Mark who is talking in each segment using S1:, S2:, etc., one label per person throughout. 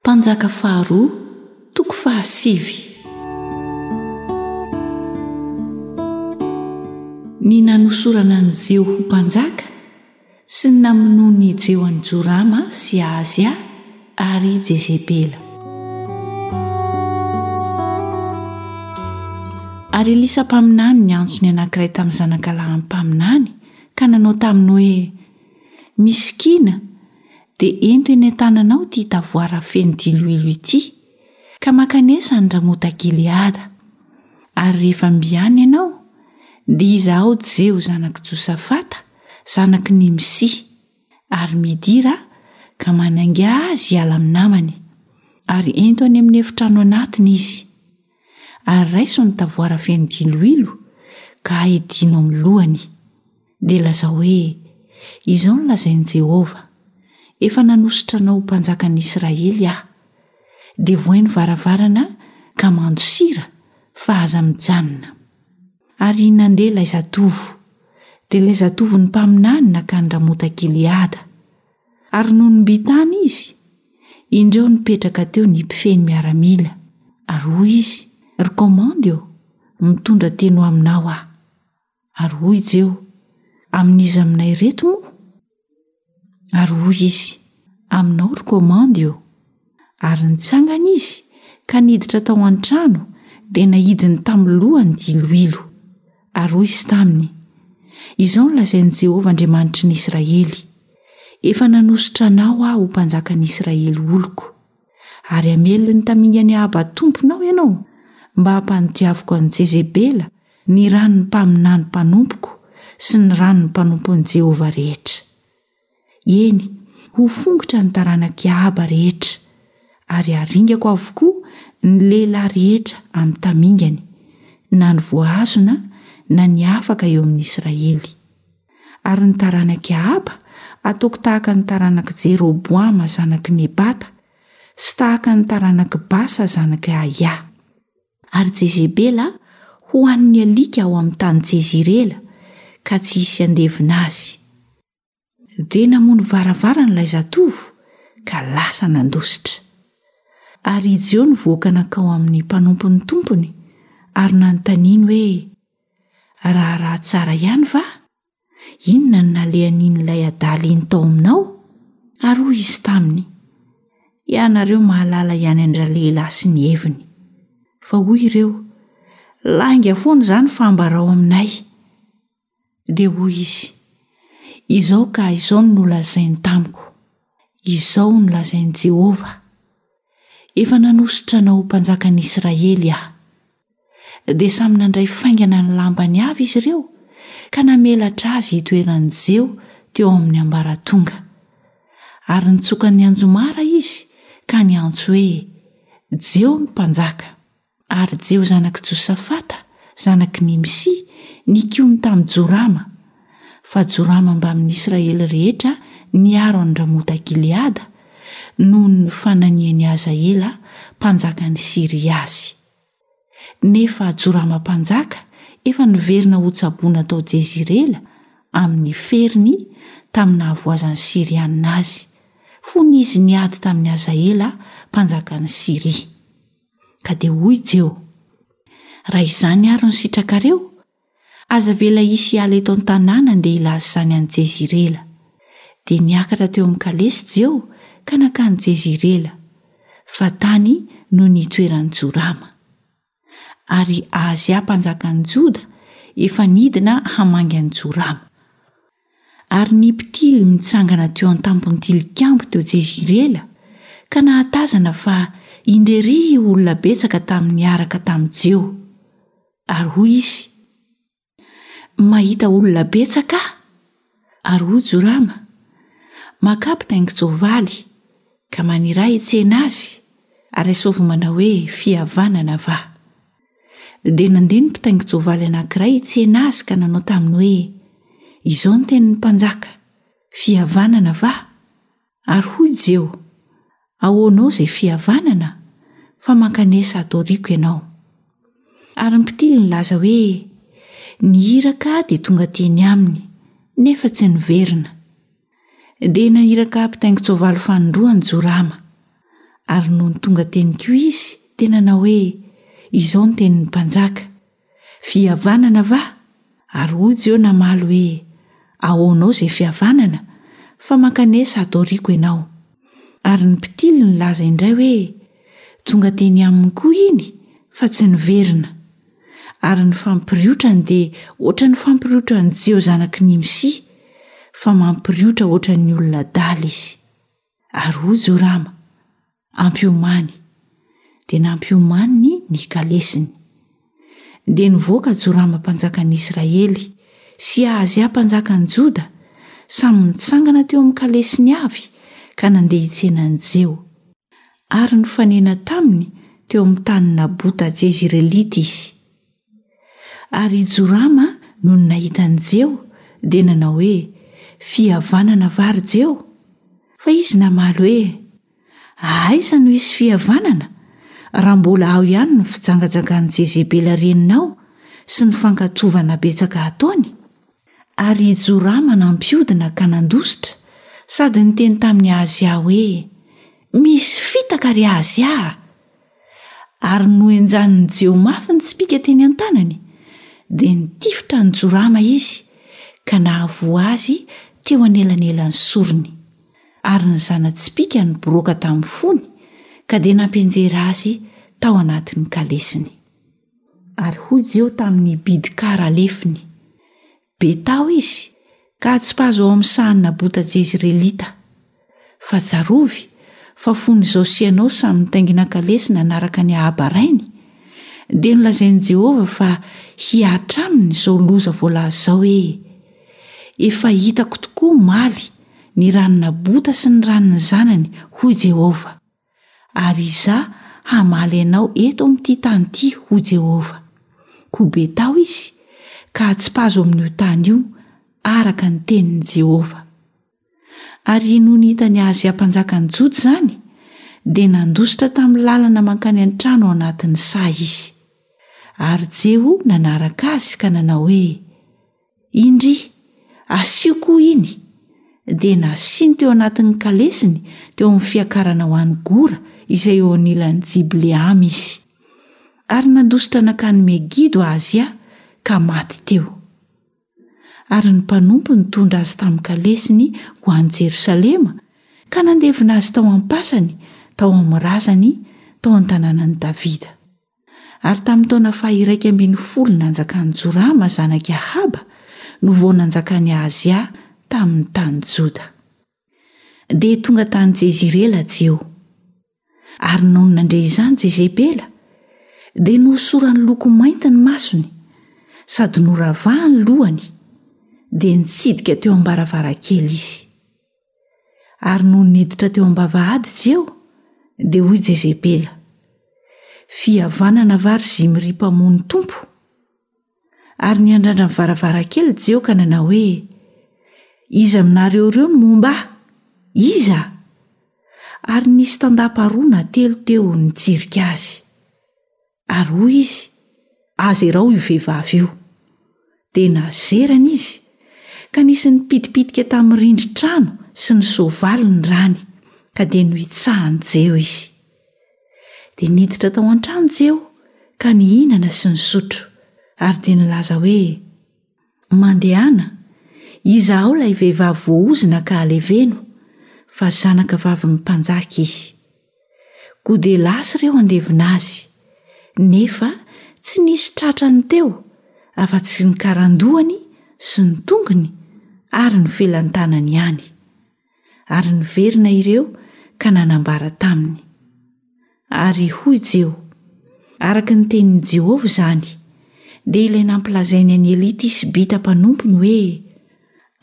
S1: Mpanjaka faharoa, toko fahasivy. Ny nanosorana an'i Jeho ho mpanjaka sy ny namonoan'i Jeho an'i Jorama sy Ahazia ary Jezebela. Ary Elisa mpaminany niantso ny anankiray tamin'ny zanakalahin'ny mpaminany ka nanao taminy hoe, Misikina, dia ento eny an-tananao ity tavoara feno diloilo ity, ka mankanesa any Ramota-gileada. Ary rehefa mby any ianao, dia izahao Jeho zanak'i Josafata, zanak'i Nimsy, ary midira ka manaingà azy hiala amin'ny namany, ary ento any amin'ny efitrano anatiny izy. Ary raiso ny tavoara feno diloilo, ka aidino amin'ny lohany. Dia lazao hoe, 'Izao no lazain'i Jehovah, Efa nanosotra anao ho mpanjakan'ny Israely aho. Dia vohay ny varavarana ka mandosira, fa aza mijanona. Ary nandeha ilay zatovo. Dia ilay zatovon'ny mpaminany nankany Ramota-gileada. Ary nony mby tany izy, indreo nipetraka teo ny mpifehy ny miaramila, ary hoy izy, Ry komandy ô, mitondra teny ho aminao aho. Ary hoy Jeho, Amin'iza aminay ireto moa? Ary hoy izy, Aminao ry komandy ô. Ary nitsangana izy ka niditra tao an-trano dia naidiny tamin'ny lohany diloilo. Ary hoy izy taminy, Izao no lazain'i Jehovah Andriamanitry ny Israely, Efa nanosotra anao aho ho mpanjakan'ny Israely oloko. Ary hamely ny tamingan'i Ahaba tomponao ianao, mba hampandodiaviko an'i Jezebela ny ran'ny mpaminany mpanompoko sy ny ran'ny mpanompon'i Jehovah rehetra. Eny, ho fongotra ny taranak'i Ahaba rehetra, ary haringako avokoa ny lehilahy rehetra amin'ny tamingany, na ny voahazona na ny afaka eo amin'ny Israely. Ary ny taranak'i Ahaba hataoko tahaka ny taranak'i Jeroboama zanak'i Nebata, sy tahaka ny taranak'i Basa zanak'i Ahia. Ary Jezebela hohanin'ny alika ao amin'ny tany Jezirela, ka tsy hisy handevina azy. Dia namono varavarana ilay zatovo, ka lasa nandositra. Ary i Jeho nivoaka nankao amin'ny mpanompon'ny tompony, ary nanontaniany hoe, Raharaha tsara ihany va? Inona no nalehan'in'ilay adala iny tao aminao? Ary hoy izy taminy, Ianareo mahalala ihany an-dralehilahy sy ny heviny. Fa hoy ireo, Lainga foana izany fa ambarao aminay. Dia hoy izy, Izao ka izao no nolazainy tamiko, Izao no lazain'i Jehovah, Efa nanosotra anao ho mpanjakan'ny Israely aho. Dia samy nandray faingana ny lambany avy izy ireo ka namelatra azy hitoeran'i Jeho teo amin'ny ambaratonga. Ary nitsoka ny anjomara izy ka niantso hoe, Jeho ny mpanjaka! Ary Jeho zanak'i Josafata, zanak'i Nimsy, nikomy tamin'i Jorama, fa Jorama mbamin'ny Israely rehetra niaro an-dRamota-gileada noho ny fananian'i Hazaela mpanjakan'i Syria azy. Nefa Jorama mpanjaka efa niverina hotsaboina tao Jezirela amin'ny feriny tamin'ny nahavoazan'ny Syrianina azy, fony izy niady tamin'i Hazaela mpanjakan'i Syria. Ka dia hoy Jeho, Raha izany àry no sitrakareo, aza avela hisy hiala eto an-tanàna handeha hilaza izany any Jezirela. Dia niakatra teo amin'ny kalesy Jeho ka nankany Jezirela, fa tany no nitoeran'i Jorama. Ary Ahazia mpanjakan'ny Joda efa nidina hamangy an'i Jorama. Ary ny mpitily nitsangana teo an-tampon'ny tilikambo teo Jezirela ka nahatazana fa indrery olona betsaka tamin'ny niaraka tamin'i Jeho. Ary hoy izy, Mahita olona betsaka aho. Ary hoy Jorama, Makà mpitaingin-tsoavaly, ka maniraha hitsena azy, ary asaovy manao hoe, Fihavanana va? Dia nandeha ny mpitaingin-tsoavaly anankiray hitsena azy ka nanao taminy hoe, Izao no tenin'ny mpanjaka, Fihavanana va? Ary hoy Jeho, Ahoanao izay fihavanana, fa mankanesa ato aoriako ianao. Ary ny mpitily nilaza hoe, Ny iraka dia tonga teny aminy, nefa tsy niverina. Dia naniraka mpitaingin-tsoavaly fanindroany Jorama. Ary nony tonga teny koa izy, dia nanao hoe, Izao ny tenin'ny mpanjaka, Fihavanana va? Ary hoy Jeho namaly hoe, Ahoanao izay fihavanana, fa mankanesa ato aoriako ianao. Ary ny mpitily nilaza indray hoe, Tonga teny aminy koa iny, fa tsy niverina. Ary ny fampiriotrany dia hoatran'ny fampiriotran'i Jeho zanak'i Nimsy, fa mampiriotra hoatran'ny olona adala izy. Ary hoy Jorama, Ampiomany. Dia nampiomaniny ny kalesiny. Dia nivoaka Jorama mpanjakan'ny Israely sy Ahazia mpanjakan'ny Joda, samy nitsangana teo amin'ny kalesiny avy ka nandeha hitsena an'i Jeho. Ary nifanena taminy teo amin'ny tanin'i Nabota Jezirelita izy. Ary i Jorama nony nahita an'i Jeho dia nanao hoe, Fihavanana va, ry Jeho? Fa izy namaly hoe, Aiza no hisy fihavanana, raha mbola ao ihany ny fijangajangan'i Jezebela reninao sy ny fankatovana betsaka ataony? Ary i Jorama nampiodina ka nandositra, sady niteny tamin'i Ahazia hoe, Misy fitaka, ry Ahazia a! Ary nohenjanin'i Jeho mafy ny tsipìka teny an-tanany, dia nitifitra an'i Jorama izy, ka nahavoa azy teo anelanelan'ny sorony. Ary ny zana-tsipìka niboroaka tamin'ny fony, ka dia nampianjera azy tao anatin'ny kalesiny. Ary hoy Jeho tamin'i Bidkara lefiny, Betao izy, ka atsipazo ao amin'ny sahan'i Nabota Jezirelita. Fa tsarovy fa fony izao sy ianao samy nitaingina kalesy nanaraka an'i Ahaba rainy, dia nolazain'i Jehovah fa hihatra aminy izao loza voalaza izao hoe, Efa hitako tokoa omaly ny ran'i Nabota sy ny ran'ny zanany, hoy Jehovah. Ary Izaho hamaly anao eto amin'ity tany ity, hoy Jehovah. Koa betao izy, ka atsipazo amin'io tany io, araka ny tenin'i Jehovah. Ary nony hitan'i Ahazia mpanjakan'ny Joda izany, dia nandositra tamin'ny lalana mankany an-trano ao anatin'ny saha izy. Ary Jeho nanaraka azy ka nanao hoe, Indry, asio koa iny! Dia nasiany teo anatin'ny kalesiny teo amin'ny fiakarana ho any Gora izay eo anilan'i Jibleama izy. Ary nandositra nankany Megido Ahazia ka maty teo. Ary ny mpanompo nitondra azy tamin'ny kalesiny ho any Jerosalema ka nandevina azy tao am-pasany tao amin'ny razany tao an-tanànan'i Davida. Ary tamin'ny taona faha-11 nanjakan'i Jorama zanak'i Ahaba no vao nanjakan'i Ahazia tamin'ny tany Joda. Dia tonga tany Jezirela Jeho. Ary nony nandre izany Jezebela, dia nohosorany loko mainty ny masony, sady noravahany ny lohany, dia nitsidika teo am-baravarankely izy. Ary nony niditra teo am-bavahady Jeho, dia hoy Jezebela, Fihavanana va ry Zimry mpamono tompo? Ary niandrandra ny varavarankely Jeho ka nanao hoe, Iza aminareo ireo no momba ahy? Iza? Ary nisy tandapa roa na telo teo nitsirika azy. Ary hoy izy, Azerao io vehivavy io. Dia nazerany izy, ka nisy nipitipitika tamin'ny rindrin-trano sy ny soavaly ny rany, ka dia nohitsahan'i Jeho izy. Dia niditra tao an-trano Jeho ka nihinana sy nisotro, ary dia nilaza hoe, Mandehana, izahao ilay vehivavy voaozona ka aleveno, fa zanaka vavin'ny mpanjaka izy. Koa dia lasa ireo handevina azy, nefa tsy nisy tratrany teo afa-tsy ny karandohany sy ny tongony ary ny felan-tanany ihany. Ary niverina ireo ka nanambara taminy. Ary hoy Jeho, Araka ny tenin'i Jehovah izany, dia ilay nampilazainy an'i Elia Tisbita mpanompony hoe,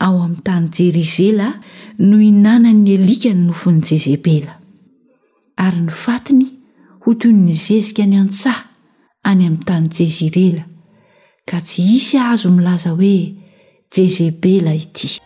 S1: Ao amin'ny tany Jerizela no hinanan'ny alika ny nofon'i Jezebela. Ary ny fatiny ho toy ny zezika any an-tsaha any amin'ny tany Jezirela, ka tsy hisy hahazo milaza hoe, Jezebela ity.